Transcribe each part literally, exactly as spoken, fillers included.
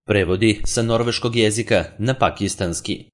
Prevodi sa norveškog jezika na pakistanski.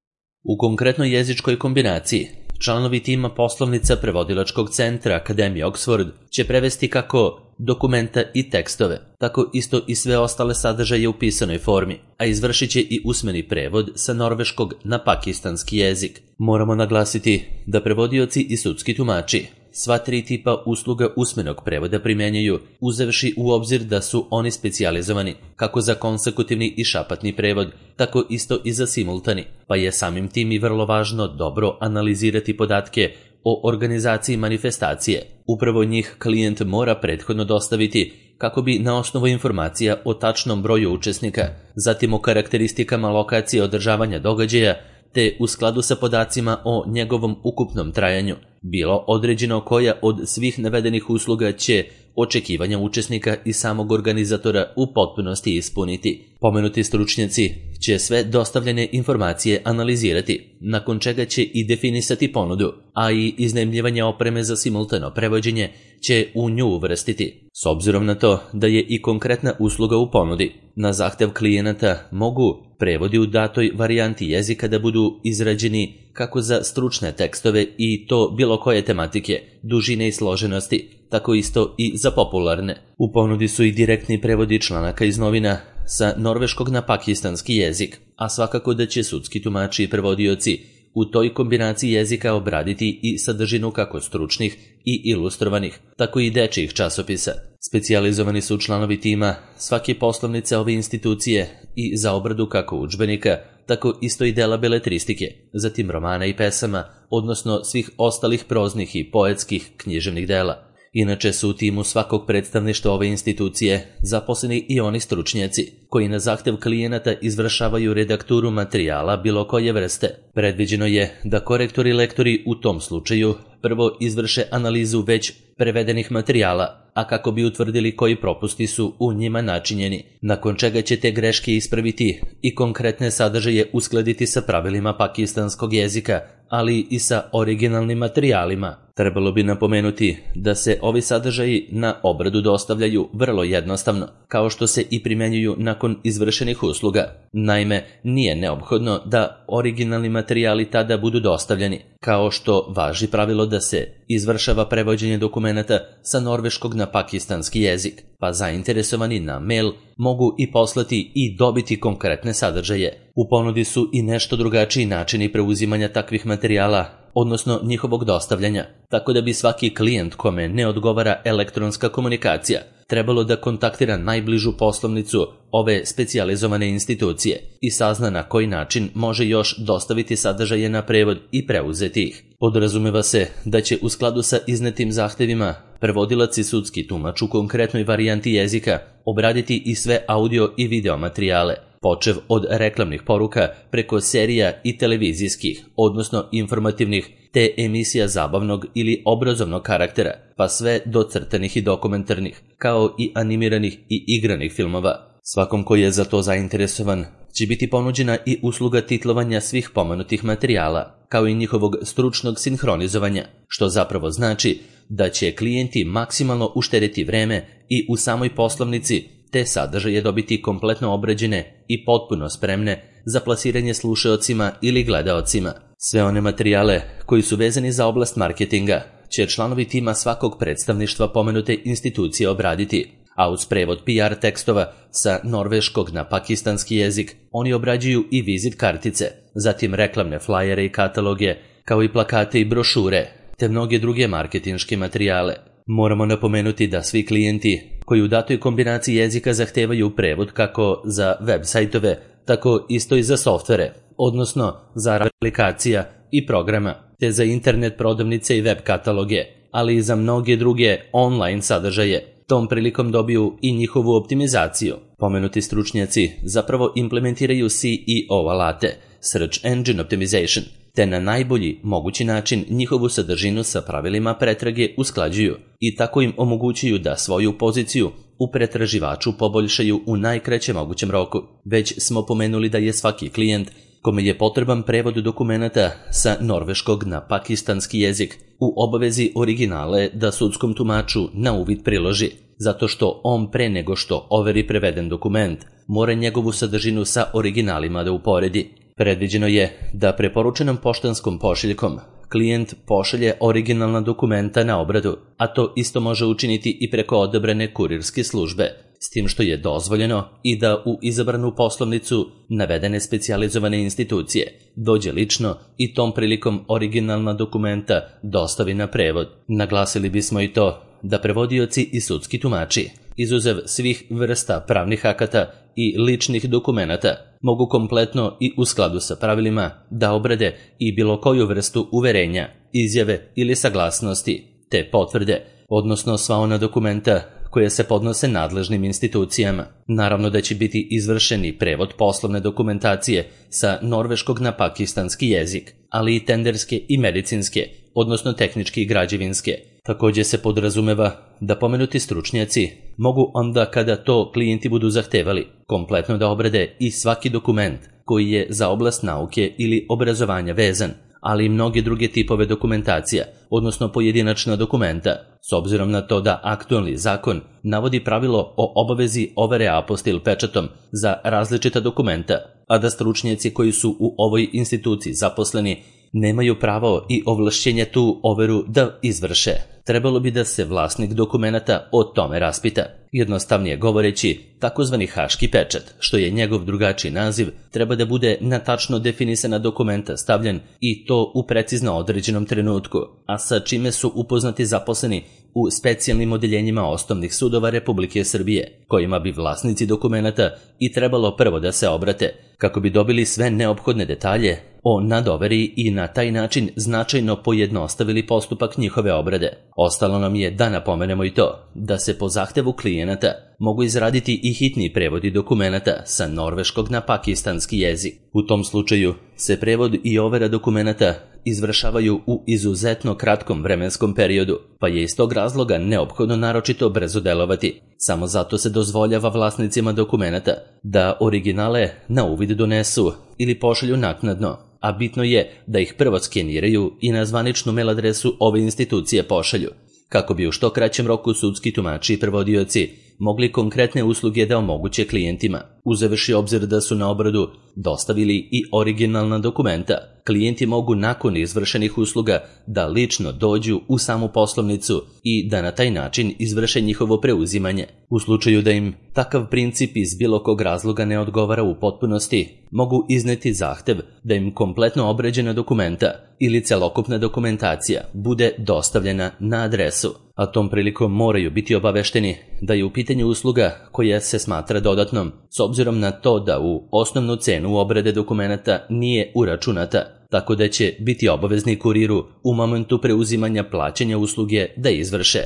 U konkretnoj jezičkoj kombinaciji, članovi tima poslovnica Prevodilačkog centra Akademije Oxford će prevesti kako dokumenta i tekstove, tako isto i sve ostale sadržaje u pisanoj formi, a izvršit će i usmeni prevod sa norveškog na pakistanski jezik. Moramo naglasiti da prevodioci i sudski tumači sva tri tipa usluga usmenog prevoda primjenjuju, uzevši u obzir da su oni specijalizovani kako za konsekutivni i šapatni prevod, tako isto i za simultani, pa je samim tim i vrlo važno dobro analizirati podatke o organizaciji manifestacije. Upravo njih klijent mora prethodno dostaviti kako bi na osnovu informacija o tačnom broju učesnika, zatim o karakteristikama lokacije održavanja događaja, te u skladu sa podacima o njegovom ukupnom trajanju, bilo određeno koja od svih navedenih usluga će očekivanja učesnika i samog organizatora u potpunosti ispuniti. Pomenuti stručnjaci će sve dostavljene informacije analizirati, nakon čega će i definisati ponudu, a i iznajmljivanje opreme za simultano prevođenje će u nju uvrstiti. S obzirom na to da je i konkretna usluga u ponudi, na zahtev klijenata mogu prevodi u datoj varijanti jezika da budu izrađeni kako za stručne tekstove i to bilo koje tematike, dužine i složenosti, tako isto i za popularne. U ponudi su i direktni prevodi članaka iz novina sa norveškog na pakistanski jezik, a svakako da će sudski tumači i prevodioci u toj kombinaciji jezika obraditi i sadržinu kako stručnih i ilustrovanih, tako i dečijih časopisa. Specijalizovani su članovi tima svake poslovnice ove institucije i za obradu kako udžbenika, tako isto i dela beletristike, zatim romana i pesama, odnosno svih ostalih proznih i poetskih književnih dela. Inače su u timu svakog predstavništva ove institucije zaposleni i oni stručnjaci koji na zahtev klijenata izvršavaju redakturu materijala bilo koje vrste. Predviđeno je da korektori i lektori u tom slučaju prvo izvrše analizu već prevedenih materijala, a kako bi utvrdili koji propusti su u njima načinjeni, nakon čega će te greške ispraviti i konkretne sadržaje uskladiti sa pravilima pakistanskog jezika, ali i sa originalnim materijalima. Trebalo bi napomenuti da se ovi sadržaji na obradu dostavljaju vrlo jednostavno, kao što se i primenjuju nakon izvršenih usluga. Naime, nije neophodno da originalni materijali tada budu dostavljeni, kao što važi pravilo da se izvršava prevođenje dokumenata sa norveškog na pakistanski jezik, pa zainteresovani na mail mogu i poslati i dobiti konkretne sadržaje. U ponudi su i nešto drugačiji načini preuzimanja takvih materijala, odnosno njihovog dostavljanja, tako da bi svaki klijent kome ne odgovara elektronska komunikacija trebalo da kontaktira najbližu poslovnicu ove specijalizovane institucije i sazna na koji način može još dostaviti sadržaje na prevod i preuzeti ih. Podrazumeva se da će u skladu sa iznetim zahtevima prevodilac i sudski tumač u konkretnoj varijanti jezika obraditi i sve audio i video materijale, počev od reklamnih poruka preko serija i televizijskih, odnosno informativnih, te emisija zabavnog ili obrazovnog karaktera, pa sve do crtanih i dokumentarnih, kao i animiranih i igranih filmova. Svakom koji je za to zainteresovan će biti ponuđena i usluga titlovanja svih pomenutih materijala, kao i njihovog stručnog sinhronizovanja, što zapravo znači da će klijenti maksimalno uštedeti vreme i u samoj poslovnici te sadržaje dobiti kompletno obrađene i potpuno spremne za plasiranje slušaocima ili gledaocima. Sve one materijale koji su vezani za oblast marketinga će članovi tima svakog predstavništva pomenute institucije obraditi, a uz prevod P R tekstova sa norveškog na pakistanski jezik oni obrađuju i vizit kartice, zatim reklamne flajere i kataloge, kao i plakate i brošure, te mnoge druge marketinške materijale. Moramo napomenuti da svi klijenti koji u datoj kombinaciji jezika zahtevaju prevod kako za web sajtove, tako isto i za softvere, odnosno za aplikacija i programa, te za internet prodavnice i web kataloge, ali i za mnoge druge online sadržaje, tom prilikom dobiju i njihovu optimizaciju. Pomenuti stručnjaci zapravo implementiraju C E O alate, Search Engine Optimization, te na najbolji mogući način njihovu sadržinu sa pravilima pretrage usklađuju i tako im omogućuju da svoju poziciju u pretraživaču poboljšaju u najkraćem mogućem roku. Već smo pomenuli da je svaki klijent kome je potreban prevod dokumenata sa norveškog na pakistanski jezik u obavezi originale da sudskom tumaču na uvid priloži, zato što on pre nego što overi preveden dokument mora njegovu sadržinu sa originalima da uporedi. Predviđeno je da preporučenom poštanskom pošiljkom klijent pošalje originalna dokumenta na obradu, a to isto može učiniti i preko odabrane kurirske službe, s tim što je dozvoljeno i da u izabranu poslovnicu navedene specijalizovane institucije dođe lično i tom prilikom originalna dokumenta dostavi na prevod. Naglasili bismo i to da prevodioci i sudski tumači, izuzev svih vrsta pravnih akata i ličnih dokumenata, mogu kompletno i u skladu sa pravilima da obrade i bilo koju vrstu uverenja, izjave ili saglasnosti, te potvrde, odnosno sva ona dokumenta koje se podnose nadležnim institucijama. Naravno da će biti izvršeni prevod poslovne dokumentacije sa norveškog na pakistanski jezik, ali i tenderske i medicinske, odnosno tehničke i građevinske. Također se podrazumeva da pomenuti stručnjaci mogu onda kada to klijenti budu zahtevali kompletno da obrade i svaki dokument koji je za oblast nauke ili obrazovanja vezan, ali i mnoge druge tipove dokumentacija, odnosno pojedinačna dokumenta, s obzirom na to da aktualni zakon navodi pravilo o obavezi overe apostil pečatom za različita dokumenta, a da stručnjaci koji su u ovoj instituciji zaposleni nemaju pravo i ovlašćenje tu overu da izvrše. Trebalo bi da se vlasnik dokumenata o tome raspita. Jednostavnije govoreći, takozvani haški pečat, što je njegov drugačiji naziv, treba da bude na tačno definisana dokumenta stavljen i to u precizno određenom trenutku, a sa čime su upoznati zaposleni u specijalnim odeljenjima osnovnih sudova Republike Srbije, kojima bi vlasnici dokumenata i trebalo prvo da se obrate, kako bi dobili sve neophodne detalje o nadoveri i na taj način značajno pojednostavili postupak njihove obrade. Ostalo nam je da napomenemo i to da se po zahtevu klijenata mogu izraditi i hitni prevodi dokumenata sa norveškog na pakistanski jezik. U tom slučaju se prevod i overa dokumenata izvršavaju u izuzetno kratkom vremenskom periodu, pa je iz tog razloga neophodno naročito brzo delovati. Samo zato se dozvoljava vlasnicima dokumenata da originale na uvid donesu ili pošalju naknadno, a bitno je da ih prvo skeniraju i na zvaničnu mail adresu ove institucije pošalju, kako bi u što kraćem roku sudski tumači i prevodioci mogli konkretne usluge da omoguće klijentima. Uzevši obzir da su na obradu dostavili i originalna dokumenta, klijenti mogu nakon izvršenih usluga da lično dođu u samu poslovnicu i da na taj način izvrše njihovo preuzimanje. U slučaju da im takav princip iz bilo kog razloga ne odgovara u potpunosti, mogu izneti zahtev da im kompletno obrađena dokumenta ili celokupna dokumentacija bude dostavljena na adresu, a tom prilikom moraju biti obavešteni da je u pitanju usluga koja se smatra dodatnom, s obzirom na to da u osnovnu cenu obrade dokumenata nije uračunata, tako da će biti obavezni kuriru u momentu preuzimanja plaćanja usluge da izvrše.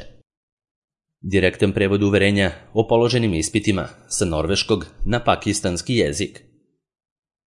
Direktan prevod uverenja o položenim ispitima sa norveškog na pakistanski jezik.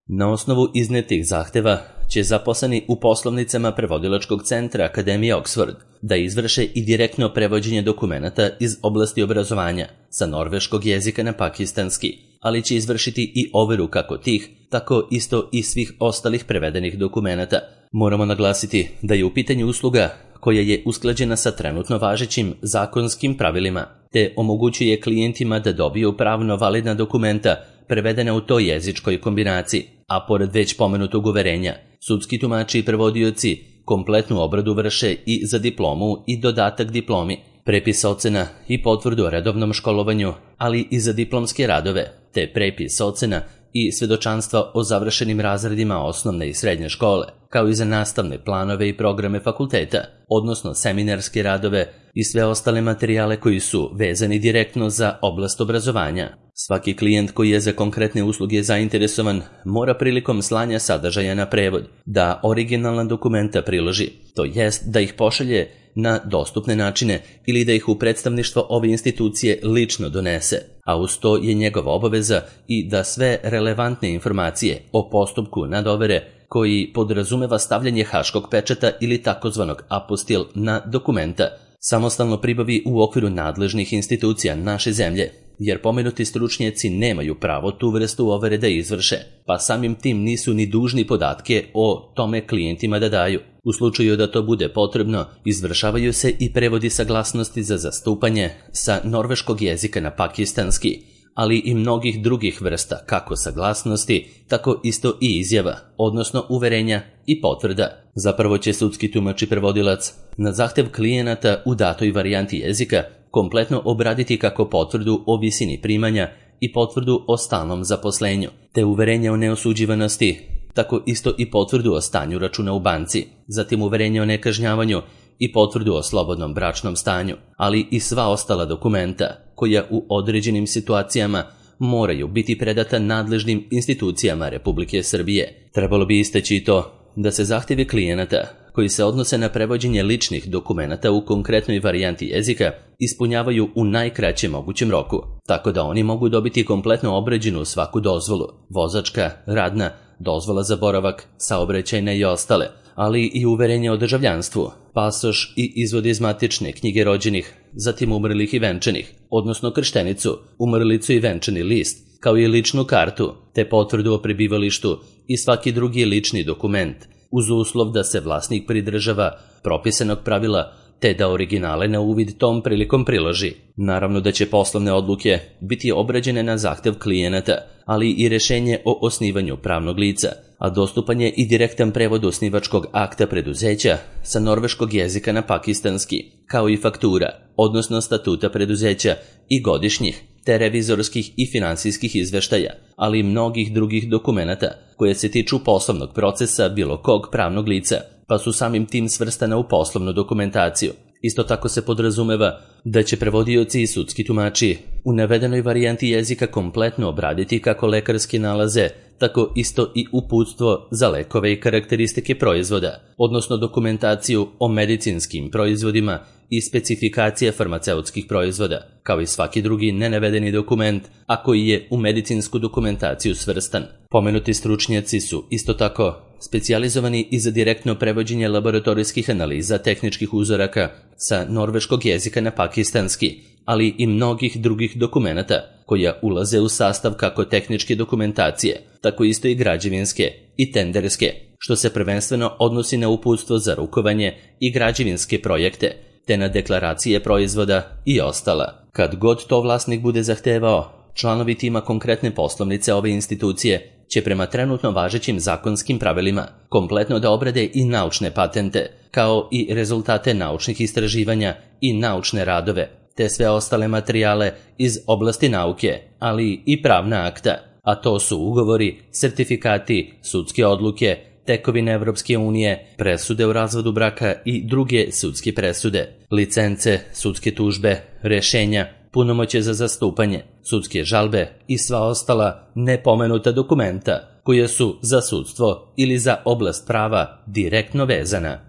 Na osnovu iznetih zahteva će zaposleni u poslovnicama prevodilačkog centra Akademije Oxford da izvrše i direktno prevođenje dokumenata iz oblasti obrazovanja sa norveškog jezika na pakistanski, ali će izvršiti i overu kako tih, tako isto i svih ostalih prevedenih dokumenata. Moramo naglasiti da je u pitanju usluga koja je usklađena sa trenutno važećim zakonskim pravilima, te omogućuje klijentima da dobiju pravno validna dokumenta prevedena u toj jezičkoj kombinaciji, a pored već pomenutog uverenja, sudski tumači i prevodioci kompletnu obradu vrše i za diplomu i dodatak diplomi, prepis ocena i potvrdu o redovnom školovanju, ali i za diplomske radove, te prepis ocena i svedočanstva o završenim razredima osnovne i srednje škole, kao i za nastavne planove i programe fakulteta, odnosno seminarske radove i sve ostale materijale koji su vezani direktno za oblast obrazovanja. Svaki klijent koji je za konkretne usluge zainteresovan mora prilikom slanja sadržaja na prevod da originalna dokumenta priloži, to jest da ih pošalje na dostupne načine ili da ih u predstavništvo ove institucije lično donese, a uz to je njegova obaveza i da sve relevantne informacije o postupku nadovere koji podrazumeva stavljanje haškog pečata ili takozvanog apostil na dokumenta samostalno pribavi u okviru nadležnih institucija naše zemlje, jer pomenuti stručnjaci nemaju pravo tu vrstu overe da izvrše, pa samim tim nisu ni dužni podatke o tome klijentima da daju. U slučaju da to bude potrebno, izvršavaju se i prevodi saglasnosti za zastupanje sa norveškog jezika na pakistanski, ali i mnogih drugih vrsta kako saglasnosti, tako isto i izjava, odnosno uverenja i potvrda. Zapravo će sudski tumač i prevodilac na zahtev klijenata u datoj varijanti jezika kompletno obraditi kako potvrdu o visini primanja i potvrdu o stalnom zaposlenju, te uverenje o neosuđivanosti, tako isto i potvrdu o stanju računa u banci, zatim uverenje o nekažnjavanju i potvrdu o slobodnom bračnom stanju, ali i sva ostala dokumenta koja u određenim situacijama moraju biti predata nadležnim institucijama Republike Srbije. Trebalo bi istaći i to da se zahtjevi klijenata koji se odnose na prevođenje ličnih dokumenata u konkretnoj varijanti jezika ispunjavaju u najkraćem mogućem roku, tako da oni mogu dobiti kompletno obrađenu svaku dozvolu, vozačka, radna, dozvola za boravak, saobraćajne i ostale, ali i uverenje o državljanstvu, pasoš i izvod iz matične knjige rođenih, zatim umrlih i venčanih, odnosno krštenicu, umrlicu i venčani list, kao i ličnu kartu, te potvrdu o prebivalištu i svaki drugi lični dokument, uz uslov da se vlasnik pridržava propisanog pravila te da originale na uvid tom prilikom priloži. Naravno da će poslovne odluke biti obrađene na zahtev klijenata, ali i rešenje o osnivanju pravnog lica, a dostupan je i direktan prevod osnivačkog akta preduzeća sa norveškog jezika na pakistanski, kao i faktura, odnosno statuta preduzeća i godišnjih, te revizorskih i finansijskih izveštaja, ali i mnogih drugih dokumenata koje se tiču poslovnog procesa bilo kog pravnog lica, pa su samim tim svrstana u poslovnu dokumentaciju. Isto tako se podrazumeva da će prevodioci i sudski tumači u navedenoj varijanti jezika kompletno obraditi kako lekarski nalaze, tako isto i uputstvo za lekove i karakteristike proizvoda, odnosno dokumentaciju o medicinskim proizvodima i specifikacije farmaceutskih proizvoda, kao i svaki drugi nenavedeni dokument, a koji je u medicinsku dokumentaciju svrstan. Pomenuti stručnjaci su isto tako specijalizovani i za direktno prevođenje laboratorijskih analiza tehničkih uzoraka sa norveškog jezika na pakistanski, ali i mnogih drugih dokumenata koja ulaze u sastav kako tehničke dokumentacije, tako isto i građevinske i tenderske, što se prvenstveno odnosi na uputstvo za rukovanje i građevinske projekte, te na deklaracije proizvoda i ostala. Kad god to vlasnik bude zahtevao, članovi tima konkretne poslovnice ove institucije će prema trenutno važećim zakonskim pravilima kompletno da obrade i naučne patente, kao i rezultate naučnih istraživanja i naučne radove, te sve ostale materijale iz oblasti nauke, ali i pravna akta, a to su ugovori, sertifikati, sudske odluke, tekovine Evropske unije, presude u razvodu braka i druge sudske presude, licence, sudske tužbe, rešenja, punomoćje za zastupanje, sudske žalbe i sva ostala nepomenuta dokumenta koja su za sudstvo ili za oblast prava direktno vezana.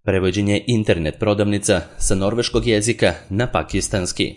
Prevođenje internet prodavnica sa norveškog jezika na pakistanski.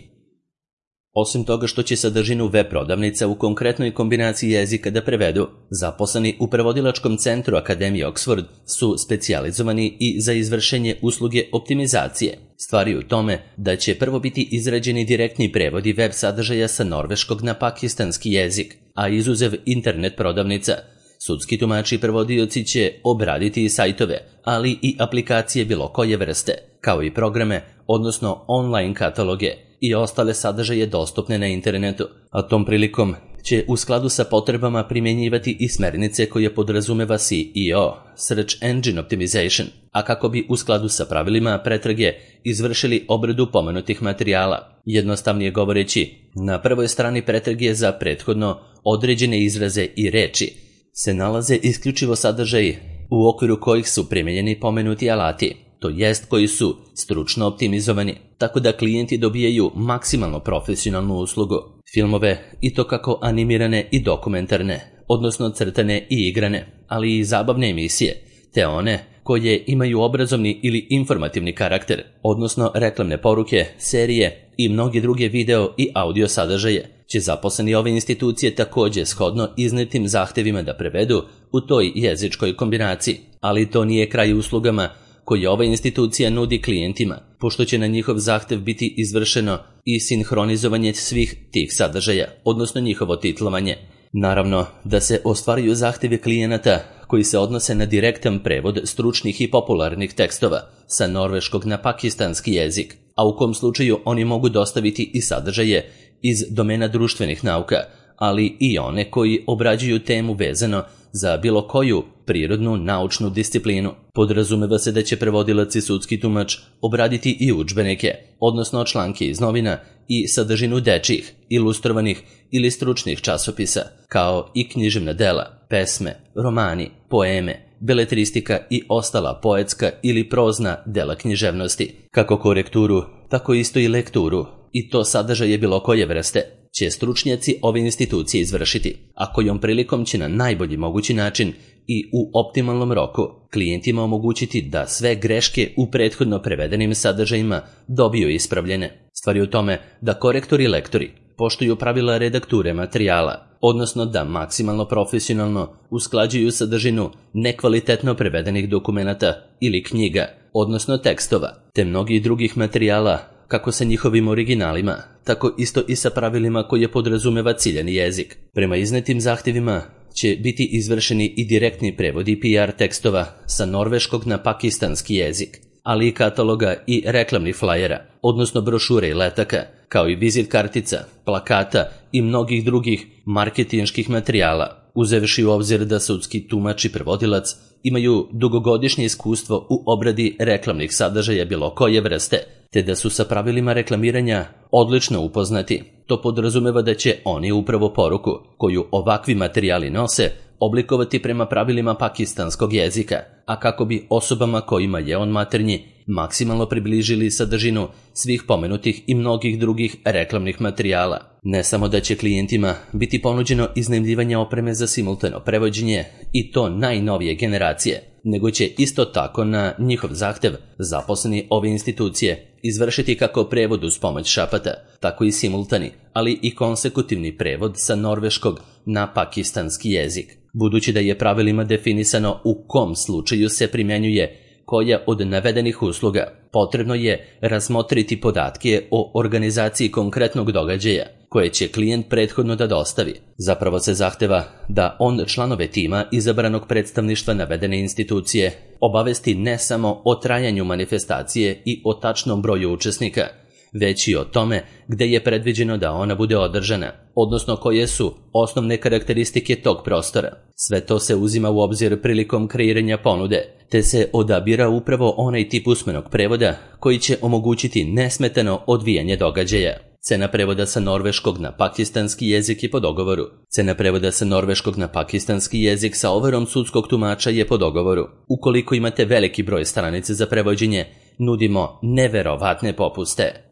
Osim toga što će sadržinu web prodavnica u konkretnoj kombinaciji jezika da prevedu, zaposleni u prevodilačkom centru Akademije Oxford su specijalizovani i za izvršenje usluge optimizacije. Stvar je u tome da će prvo biti izrađeni direktni prevodi web sadržaja sa norveškog na pakistanski jezik, a izuzev internet prodavnica, sudski tumači i prevodioci će obraditi i sajtove, ali i aplikacije bilo koje vrste, kao i programe, odnosno online kataloge i ostale sadržaje dostupne na internetu, a tom prilikom će u skladu sa potrebama primjenjivati i smernice koje podrazumeva S E O, Search Engine Optimization, a kako bi u skladu sa pravilima pretrage izvršili obradu pomenutih materijala. Jednostavnije govoreći, na prvoj strani pretrage za prethodno određene izraze i reči se nalaze isključivo sadržaji u okviru kojih su primijenjeni pomenuti alati, to jest koji su stručno optimizovani, tako da klijenti dobijaju maksimalno profesionalnu uslugu. Filmove, i to kako animirane i dokumentarne, odnosno crtane i igrane, ali i zabavne emisije, te one koje imaju obrazovni ili informativni karakter, odnosno reklamne poruke, serije i mnogi druge video i audio sadržaje, će zaposleni ove institucije također shodno iznetim zahtevima da prevedu u toj jezičkoj kombinaciji, ali to nije kraj uslugama koje ova institucija nudi klijentima, pošto će na njihov zahtev biti izvršeno i sinhronizovanje svih tih sadržaja, odnosno njihovo titlovanje. Naravno da se ostvaruju zahtevi klijenata koji se odnose na direktan prevod stručnih i popularnih tekstova sa norveškog na pakistanski jezik, a u kom slučaju oni mogu dostaviti i sadržaje iz domena društvenih nauka, ali i one koji obrađuju temu vezano za bilo koju prirodnu naučnu disciplinu. Podrazumeva se da će prevodilac i sudski tumač obraditi i udžbenike, odnosno članke iz novina i sadržinu dečjih, ilustrovanih ili stručnih časopisa, kao i književna dela, pesme, romani, poeme, beletristika i ostala poetska ili prozna dela književnosti. Kako korekturu, tako isto i lekturu, i to sadržaje bilo koje vrste, će stručnjaci ove institucije izvršiti, a kojom prilikom će na najbolji mogući način i u optimalnom roku klijentima omogućiti da sve greške u prethodno prevedenim sadržajima dobiju ispravljene. Stvar je u tome da korektori i lektori poštuju pravila redakture materijala, odnosno da maksimalno profesionalno usklađuju sadržinu nekvalitetno prevedenih dokumenata ili knjiga, odnosno tekstova, te mnogih drugih materijala, kako sa njihovim originalima, tako isto i sa pravilima koje podrazumeva ciljani jezik. Prema iznetim zahtjevima će biti izvršeni i direktni prevodi P R tekstova sa norveškog na pakistanski jezik, ali i kataloga i reklamnih flajera, odnosno brošure i letaka, kao i vizit kartica, plakata i mnogih drugih marketinških materijala, uzevši u obzir da sudski tumač i prevodilac imaju dugogodišnje iskustvo u obradi reklamnih sadržaja bilo koje vrste, te da su sa pravilima reklamiranja odlično upoznati. To podrazumeva da će oni upravo poruku koju ovakvi materijali nose oblikovati prema pravilima pakistanskog jezika, a kako bi osobama kojima je on maternji maksimalno približili sadržinu svih pomenutih i mnogih drugih reklamnih materijala. Ne samo da će klijentima biti ponuđeno iznajmljivanje opreme za simultano prevođenje i to najnovije generacije, nego će isto tako na njihov zahtev zaposleni ove institucije izvršiti kako prevod uz pomoć šapata, tako i simultani, ali i konsekutivni prevod sa norveškog na pakistanski jezik. Budući da je pravilima definisano u kom slučaju se primjenjuje koja od navedenih usluga, potrebno je razmotriti podatke o organizaciji konkretnog događaja koje će klijent prethodno da dostavi. Zapravo se zahteva da on članove tima izabranog predstavništva navedene institucije obavesti ne samo o trajanju manifestacije i o tačnom broju učesnika, već i o tome gde je predviđeno da ona bude održana, odnosno koje su osnovne karakteristike tog prostora. Sve to se uzima u obzir prilikom kreiranja ponude, te se odabira upravo onaj tip usmenog prevoda koji će omogućiti nesmetano odvijanje događaja. Cena prevoda sa norveškog na pakistanski jezik je po dogovoru. Cena prevoda sa norveškog na pakistanski jezik sa overom sudskog tumača je po dogovoru. Ukoliko imate veliki broj stranica za prevođenje, nudimo neverovatne popuste.